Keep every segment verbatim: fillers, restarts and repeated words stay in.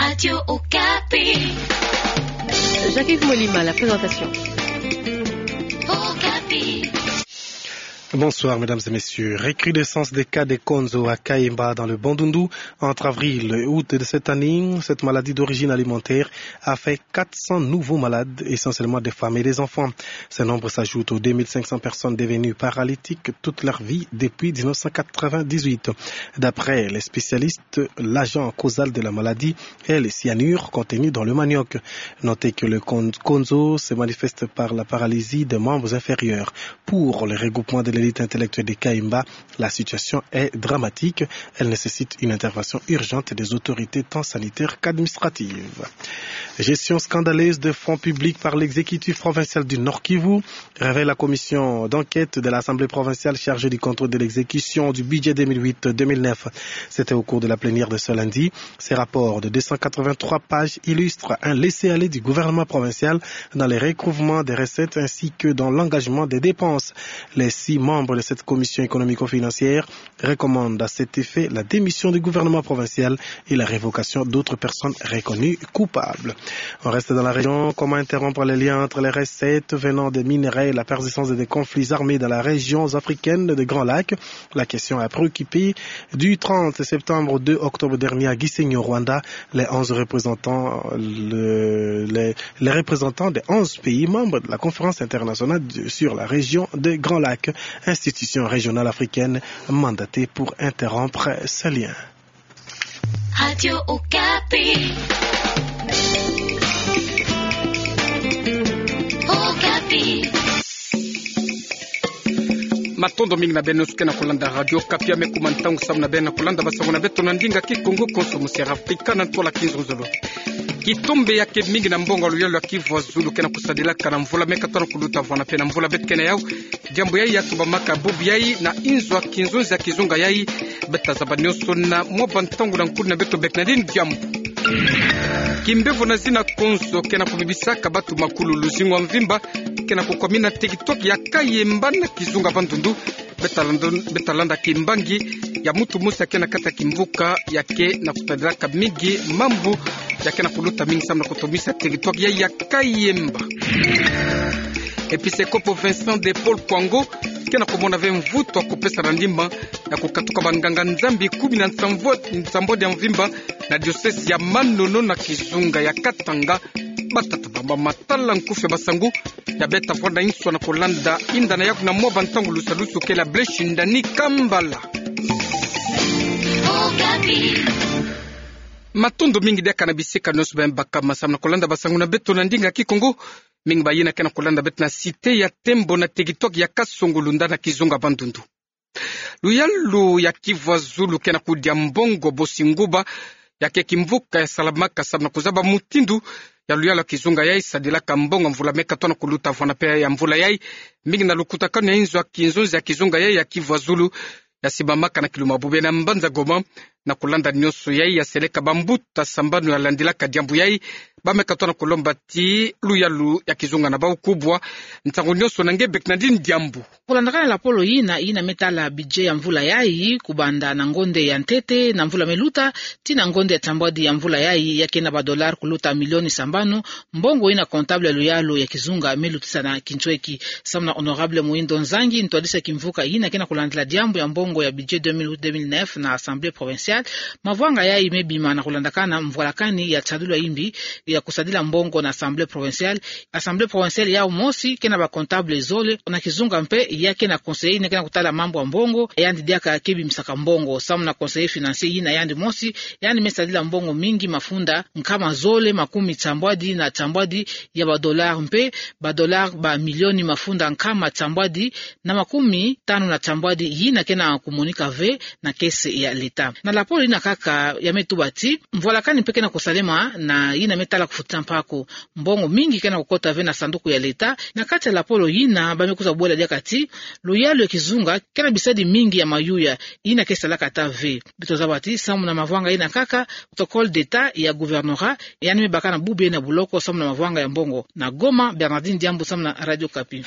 Radio Okapi. Jacques-Yves Molima, la présentation. Okapi. Bonsoir, mesdames et messieurs. Recrudescence des cas de konzo à Kayemba dans le Bandundu. Entre avril et août de cette année, cette maladie d'origine alimentaire a fait quatre cents nouveaux malades, essentiellement des femmes et des enfants. Ce nombre s'ajoute aux deux mille cinq cents personnes devenues paralytiques toute leur vie depuis dix-neuf cent quatre-vingt-dix-huit. D'après les spécialistes, l'agent causal de la maladie est le cyanure contenu dans le manioc. Notez que le kon-, konzo se manifeste par la paralysie des membres inférieurs. Pour le regroupement de l'élite intellectuelle de Kayemba, la situation est dramatique. Elle nécessite une intervention urgente des autorités tant sanitaires qu'administratives. Gestion scandaleuse de fonds publics par l'exécutif provincial du Nord-Kivu, révèle la commission d'enquête de l'Assemblée provinciale chargée du contrôle de l'exécution du budget deux mille huit deux mille neuf. C'était au cours de la plénière de ce lundi. Ce rapport de deux cent quatre-vingt-trois pages illustre un laisser-aller du gouvernement provincial dans les recouvrements des recettes ainsi que dans l'engagement des dépenses. Les six membres de cette commission économico-financière recommandent à cet effet la démission du gouvernement provincial et la révocation d'autres personnes reconnues coupables. On reste dans la région. Comment interrompre les liens entre les recettes venant des minerais et la persistance des conflits armés dans la région africaine des Grands Lacs ? La question a préoccupé du trente septembre au deux octobre dernier à Gisenyi, au Rwanda, les onze représentants, le, les, les représentants des onze pays membres de la Conférence internationale de, sur la région des Grands Lacs, institution régionale africaine mandatée pour interrompre ces liens. Radio Okapi. Okapi. Matondo mingi na beno nyonso ke na kulanda Radio Okapi. Ya me kuma ntangu samu na beno na kulanda basango na beto na ndinga Kikongo konso mu Sierra Africa na ntwala kinzonzolo. Kitombe ya ke mingi na mbongo ya luyalu ya Kivu ya Zulu ke na kusadilaka na mvula me katoto na kuluta vwanda pe na mvula beto ke na yau. Diambu yayi ya tubamaka bubu yayi na inzo ya kinzonzi ya kizunga yayi. Beta zaba nyonso na mwa bantangu na nkudi na beto bek na dini diambu. Kimbevo na zina konzo ke na kubibisaka batu makulu luzingu ya mvimba ke na kukwamina teritware ya Kayemba na kizunga Bandundu. Beta landa, beta landa kimbangi ya mutu mosi ya ke na kati ya kimvuka ya ke na kusadilaka mingi mambu ya ke na kuluta mingi samu na kutomisa teritware ya, ya Kayemba. Episkopo Vincent de Paul Kwango ke na kumona ve mvutu ya kupesa na ndimba na kukatuka banganga-Nzambi kumi na nsambwadi, nsambwadi ya mvimba na diocèse ya Manono na kizunga ya Katanga. Batata bamama, tala nkufi ya basangu ya beta vwanda inso na kulanda inda na yaku na mwa bantangu lusalusu ke la Blaise Shindani Kambala. Matondo mingi diaka na bisika nyonso baye bakama samu na kulanda basangu na beto na ndinga Kikongo. Mingi bayina ke na kulanda beto na cité ya Tembo na teritware ya Kasongo-Lunda na kizunga Bandundu. Luyalu ya Kivu ya Zulu ke na kudia mbongo bosi nguba ya ke kimvuka ya salamaka samu na kuzaba mutindu ya luyalu ya kizunga yayi sadilaka mbongo mvula me katoto na kuluta vwanda pe ya mvula yayi. Mingi na lukutakanu ya inzo ya kinzonzi ya kizunga yayi ya Kivu ya Zulu ya simbamaka na kiluma bubu yayi na mbanza Goma. Na kulanda nyonso yayi ya seleka bambuta sambanu ya landilaka diambu yayi. Ba me katoto na kulomba ti luyalu ya kizunga na bau kubwa ntangu nyonso na nge bek na dini diambu. Kulandakana na lapolo yina, yina me tala budget ya mvula yayi, kubanda na ngonde ya ntete na mvula me luta tii na ngonde ya nsambwadi ya mvula yayi, ya ke na ba dollars kuluta milioni sambanu, mbongo yina comptable ya luyalu ya kizunga me lutisa na kintweki. Samu na honorable Muhindo Nzangi, ntwadisi ya kimvuka yina ke na kulandila diambu ya mbongo ya budget deux mille huit deux mille neuf na Assemblée provinciale, mavwanga yayi me bima na kulandakana mvwalakani ya tadulu ya imbi ya kusadila mbongo na Assemblée provinciale. Assemblée provinciale yau mosi ke na ba comptable zole, na kizunga mpe ya ke na conseiller yina ke na kutala mambu ya mbongo, yandi diaka ke bimisaka mbongo. Samu na conseiller financier yina yandi mosi, yandi me sadila mbongo mingi, mafunda nkama zole makumi nsambwadi na nsambwadi ya ba dollars, mpe ba dollars ba milioni mafunda nkama nsambwadi na makumi tanu na nsambwadi yina ke na kumonika ve na caisse ya l'État. Na lapolo yina kaka ya me tuba ti mvwalakani mpe ke na kusalema na yina me tala kufutisa mpako. Mbongo mingi ke na kukota ve na sanduku ya l'État. Na kati ya lapolo yina, ba me kwiza bwela diaka ti luyalu ya kizunga ke na bisadi mingi ya mayuya yina ke salaka ata ve. Beto zaba ti samu na mavwanga yina kaka, protocole d'État ya gouvernorat yandi me baka na bubu yayi na boloko samu na mavwanga ya mbongo. Na Goma, Bernardine Diambu samu na Radio Okapi.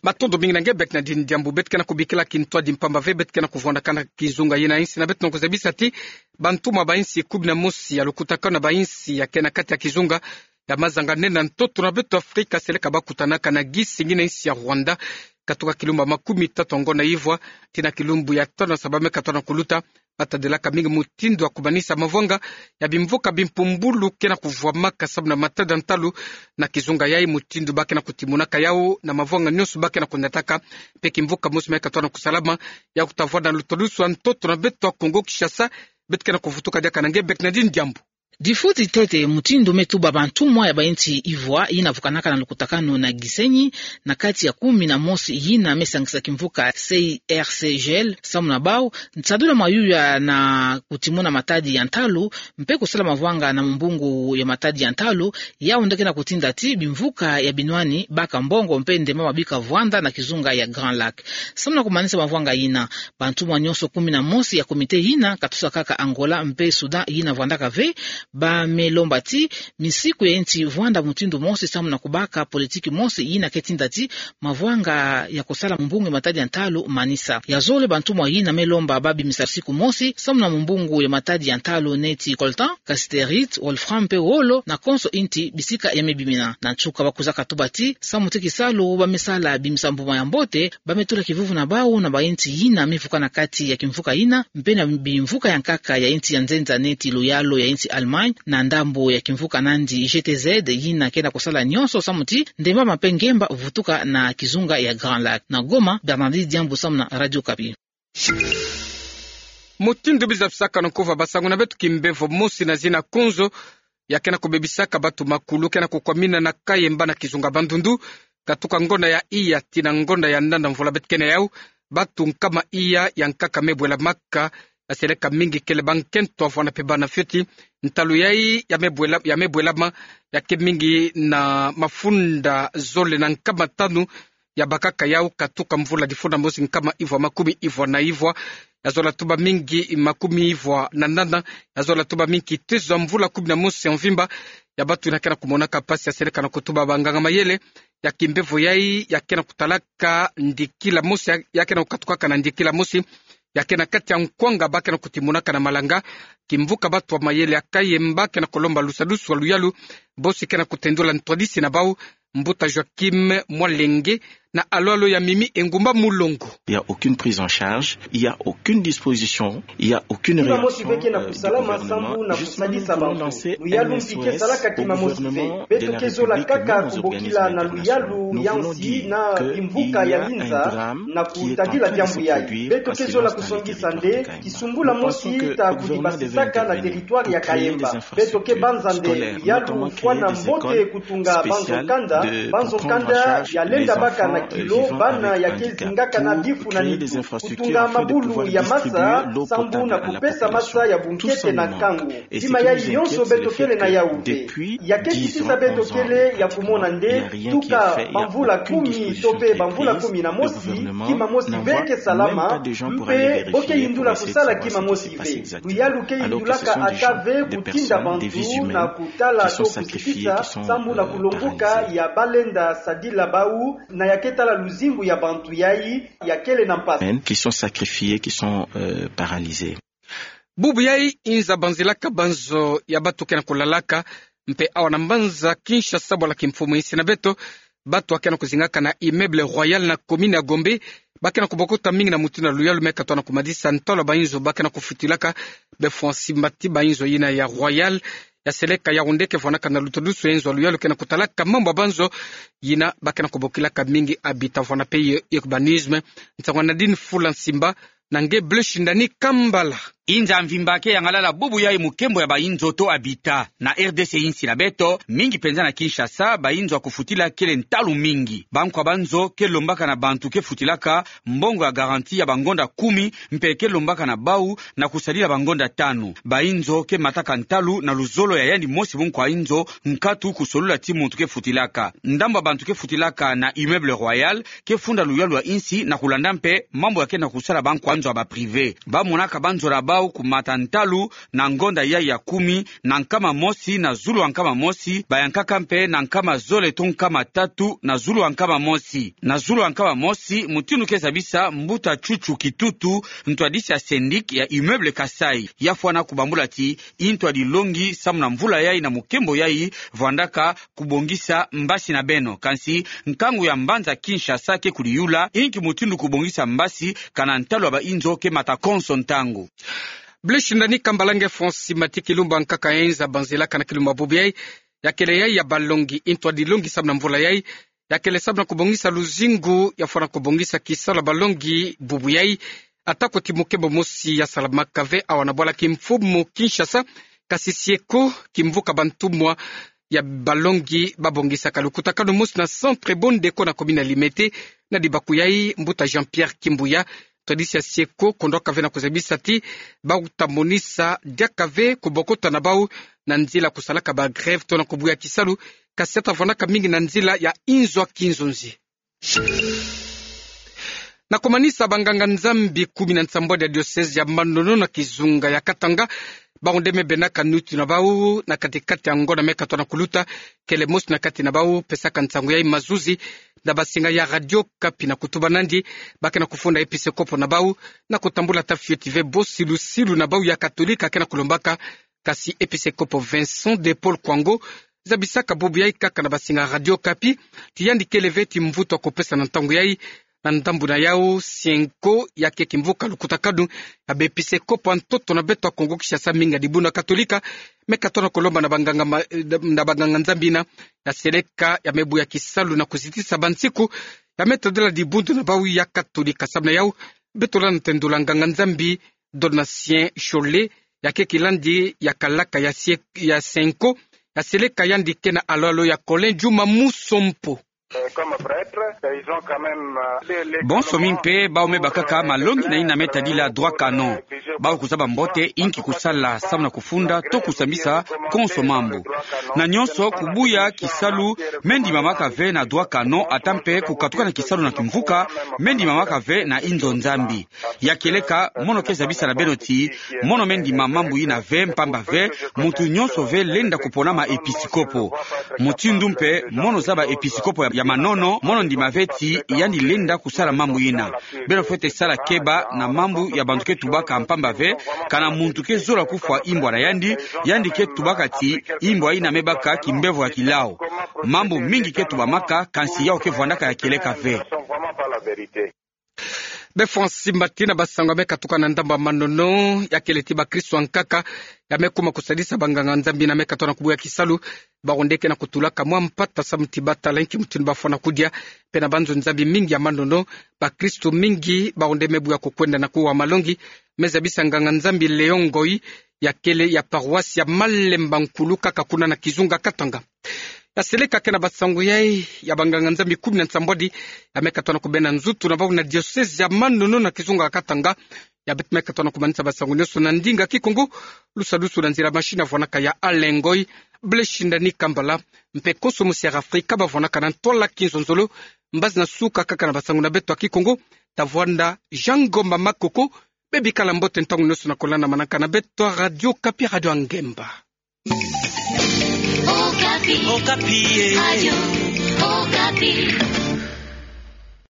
Matondo mingi na nge Bernardine Diambu. Beto ke na kubikila kintwadi mpamba ve beto ke na kuvwandakana kizunga yina insi na beto na kuzabisa ti bantumwa ba insi kumi na mosi ya lukutakanu na ba insi ya ke na kati ya kizunga ya mazanga nene na ntoto na beto Afrika seleka bakutanaka na gisi ngina insi ya Rwanda, katuka kilumbu ya makumi tatu ya ngonda ivwa tii na kilumbu ya tanu ya sabala me katwala kuluta, batadilaka mingi mutindu ya kumanisa mavwanga ya bimvuka bimpumbulu ke na kuvwamaka samu na matadi ya ntalu na kizunga yayi, mutindu ba ke na kutimunaka yawu na mavwanga nionso ba ke na kunataka. Mpe kimvuka mosi me katwala kusalama ya kutavwanda na lutadusu ya ntoto na beto ya Kongo Kinshasa. Beto ke na kuvutuka diaka na nge Bernardine Diambu. Difuti ntete mutindu me tuba bantumwa ya ba insi ivwa yina vukanaka na lukutakanu na Gisenyi, na kati ya kumi na mosi yina me sangisa kimvuka C I R C G L, samu na bawu, nsadulu ya mayuya na kutimuna matadi ya ntalu, mpe kusala mavwanga na mumbungu ya matadi ya ntalu, yawu nde ke na kutinda ti bimvuka ya binwani baka mbongo mpe ndemama bika vwanda na kizunga ya Grand Lac. Samu na kumanisa mavwanga yina, bantumwa nionso kumi na mosi ya komite yina, katosa kaka Angola mpe Soudan yina vwandaka ve, ba me lomba ti misiku ya insi vwanda mutindu mosi samu na kubaka politiki mosi yina ke tinda ti mavwanga ya kusala mumbungu ya matadi ya ntalu manisa. Ya zole, bantumwa yina me lomba ba bimisa siku mosi samu na mumbungu ya matadi ya ntalu neti coltan, cassiterite, wolfram mpe wolo, na konso insi bisika ya me bimina. Na nsuka, ba kwiza katuba ti samu ti kisalu ba me sala bimisa mbuma ya mbote, ba me tula kivuvu na bawu na ba insi yina me vuka na kati ya kimvuka yina, mpe na bimvuka ya nkaka ya insi ya nzenza neti luyalu ya insi Allemagne, na ndambu ya kimvuka nandi G T Z, yina ke na kusala nionso samu ti ndemama mpe ngemba vutuka na kizunga ya Grand Lac. Na Goma, Bernardine Diambu samu na Radio Okapi. Mutindu biza bisaka na nkuva basangu na beto, kimbevo mosi na zina kunzo ya ke na kubebisaka bantu makulu ke na kukwamina na Kayemba na kizunga Bandundu, katuka ngonda ya iya tii na ngonda ya nana mvula beto ke na yawu, bantu nkama iya ya nkaka me bwelamaka, ya seleka mingi kele bankento, avwanda mpe bana fioti. Ntalu yayi ya me bwela-, ya me bwelama, ya ke mingi na mafunda zole na nkama tanu ya bakaka yawu katuka mvula difunda mosi nkama ivwa makumi ivwa na ivwa. Ya zola tuba mingi makumi ivwa na nana, ya zola tuba mingi kitezo ya mvula kumi na mosi ya mvimba, ya bantu yina ke na kumonaka mpasi, ya seleka na kutuba banganga mayele ya kimbevo yayi ya ke na kutalaka ndikila mosi, ya, ya ke na kukatukaka na ndikila mosi ya ke na kati ya nkwanga ba ke na kutimunaka na malanga. Kimvuka bantu ya mayele ya Kayemba ke na kulomba lusadusu ya luyalu, bosi ke na kutendula ntwadisi na bawu, mbuta Joachim Mwalenge na alwalo ya Mimi Engumba Mulongo. Il y a aucune prise en charge, il y a aucune disposition, il y a aucune réaction, euh, du gouvernement. Kima mosi ve ke na kusalama sambu na kusadisa bantu. Luyalu mpi ke salaka kima mosi ve. Beto ke zola kaka kubokila na luyalu ya nsi na bimvuka ya linza na kutadila diambu yayi. Beto ke zola kusongisa nde kisumbula mosi ta kudibasisaka na territoire ya Kayemba. Beto ke banza nde luyalu fwana mbote kutunga banzo kanda, banzo kanda ya lenda baka na kilo bana ya ke zingakana bifu na nitu, kutunga mabulu ya masa sambu na kupesa masa ya bunkete na nkangu. Kima yayi yonso beto kele na yawu ve. Ya ke kisisa beto kele ya kumona nde, tuka bamvula kumi to mpe bamvula kumi na mosi, kima mosi ve ke salama, mpe bo ke yindula kusala kima mosi ve. Luyalu ke yindulaka ata ve kutinda bantu na kutala to kusukisa sambu na kulongoka ya ba lenda sadila bawu, na ya ke tala luzingu ya bantu yayi ya kele na mpasi. Qui sont sacrifiés, qui sont, euh, paralysés. Bubu yayi inza banzilaka banzo ya bantu ke na kulalaka, mpe awa na mbanza Kinshasa bwala kimfumu insi na beto, bantu ya ke na kuzingaka na Immeuble Royal na commune ya Gombe, ba ke na kubokota mingi na mutindu ya luyalu me katoa na kumadisa ntalu ya bainzo ba ke na kufutilaka. Befwa nsimba ti bainzo yina ya Royal ya seleka Yaoundé ke vwanaka na luta dusu ya inzo ya luyalu ke na kutalaka mambu ya banzo yina ba ke na kubokilaka mingi habitat, vwana mpe urbanisme. Nsangu ya Nadine Fula Nsimba na nge Bleuch Ndani Kambala. Inza ya mvimba ke yangalala bubu yayi mu nkembo ya bainzo to habitat. Na R D C insi na beto, mingi mpenza na Kinshasa, bainzo ya kufutila kele ntalu mingi. Bankwa banzo ke lombaka na bantu ke futilaka mbongo ya garantie ya bangonda kumi, mpe ke lombaka na bawu na kusadila bangonda tanu. Bainzo ke mataka ntalu na luzolo ya yandi mosi munkwa inzo, nkatu kusolula ti muntu ke futilaka. Ndambu ya bantu ke futilaka na Immeuble Royal ke funda luyalu ya insi na kulanda mpe mambu ya ke na kusala bankwa nzo ya ba privé. Ba monaka banzo na ba bau kumata ntalu na ngonda yai ya kumi na nkama mosi na zulu ha nkama mosi, bayankaka mpe na nkama zole to nkama tatu na zulu ha nkama mosi. Na zulu ha nkama mosi, mutindu ke zabisa mbuta Chuchu Kitutu, ntwadisi ya syndic ya Immeuble Kasaï, ya fwana kubambula ti i ntwadi longi samu na mvula yai na mukembo yai, vwandaka kubongisa mbasi na beno. Kansi nkangu ya mbanza Kinshasa ke kudiyula inki mutindu kubongisa mbasi, kana ntalu ya bainzo ke mata konso ntangu. Blaise Shindani Kambala, nge Francis Mati, kilumbu nkaka enza banzila kana kilumbu bubu yai, ya kele yai ya balongi, i ntwadi longi samu na mvula yai, ya kele samu na kubongisa luzingu, ya fwana kubongisa kisalu ya balongi bubu yai. Atako ti mukembo mosi ya salamaka ve awa na bwala kimfumu Kinshasa, kasi sieko kimvuka bantumwa ya balongi babongisaka lukutakanu mosi na Centre Bondeko na commune ya Limete, na dibaku yai mbuta Jean-Pierre Kimbuya, ntwadisi ya sieko, kondwaka ve na kuzabisa ti bau ta monisa diaka ve kubokota na bau na nzila kusalaka ba grève to na kubuya kisalu, kasi ata vwandaka mingi na nzila ya inzo a kinzonzi. Na kumanisa, banganga-Nzambi kumi na nsambwadi ya diocèse ya Manono na kizunga ya Katanga, bau nde me benaka nitu na bau na kati-kati ya ngonda me katona kuluta, kele mosi na kati na bau pesaka nsangu yai mazuzi na basinga ya Radio Okapi na kutuba nandi ba ke na kufunda episekopo na bau na kutambula ata fioti ve bo silu-silu na bau ya Katolika ke na kulombaka. Kasi episekopo Vincent de Paul Kwango zabisaka bubu yai kaka na basinga Radio Okapi ti yandi kele ve ti mvutu ya kupesa na ntangu yai. Na ndambu na yau, sienko ya ke kimvuka lukutakanu ya baepisekopo ya ntoto na beto ya Kongo Kinshasa, mingi ya dibundu ya Katolika, me katona kulomba na banganga ma-, na banganga-Nzambi yina ya seleka ya me buya kisalu na kuzitisa bansiku ya me tadila dibundu na bau ya Katolika. Samu na yau, beto landa tendula nganga-Nzambi Donatien Chole, ya ke kilandi ya kalaka ya sie-, ya sienko, ya seleka yandi ke na alo-alo ya Colin Juma Musompo. Bonso mi mpe bau me bakaka malongi na yina me tadila droit canon. Bau kuzaba mbote inki kusala samu na kufunda to kusambisa konso mambu. Na nyonso, kubuya kisalu me ndimamaka ve na droit canon, ata mpe kukatukana kisalu na kimvuka me ndimamaka ve na inzo Nzambi. Ya kieleka, mono ke zabisa na beno ti mono me ndima mambu yina ve, mpamba ve muntu nyonso ve lenda kuponama episekopo. Mutindu mpe mono zaba episekopo ya, ya Manono, mono ndima ve ti yandi lenda kusala mambu yina. Beno fwete sala keba na mambu ya bantu ke tubaka, mpamba ve kana muntu ke zola kufwa imbwa na yandi, yandi ke tubaka ti imbwa yina me baka kimbevo ya kilau. Mambu mingi ke tubamaka, kansi yau ke vwandaka ya kieleka ve. Be Francis Mati, na basango ya me katuka na ndambu ya Manono, ya kele ti bakristu ankaka ya me kuma kusadisa banganga-Nzambi yina me katona kubuya kisalu. Bau nde ke na kutulaka mwa mpata samu ti batala inki mutindu bafwana kudia. Mpe na banzo-Nzambi mingi ya Manono, bakristu mingi bau nde me buya kukwenda na kuwa malongi, me zabisa nganga-Nzambi Léon Ngoyi, ya kele ya paroisse ya Malemba Nkulu, kaka kuna na kizunga Katanga. Ya seleka ke na basango yai ya banganga-Nzambi kumi na nsambwadi ya me katona kubenda nzutu na bau na diocèse ya Manono na kizunga Katanga. Ya beto me katona kumanisa basango nyonso na ndinga Kikongo, lusadusu na nzila machine ya vwanaka ya Alain Ngoyi. Blaise Shindani Kambala mpe konso mosi ya Afrika ba vwanaka na ntwala kinzonzolo. Mbazi na suka kaka na basango na beto ya Kikongo, ta vwanda Jean Ngomba Makoko. Be bikala mbote ntangu nyonso na kolanda manaka na beto ya Radio Okapi, Radio ya Ngemba. Okapi. Okapi, eh. Radio Okapi.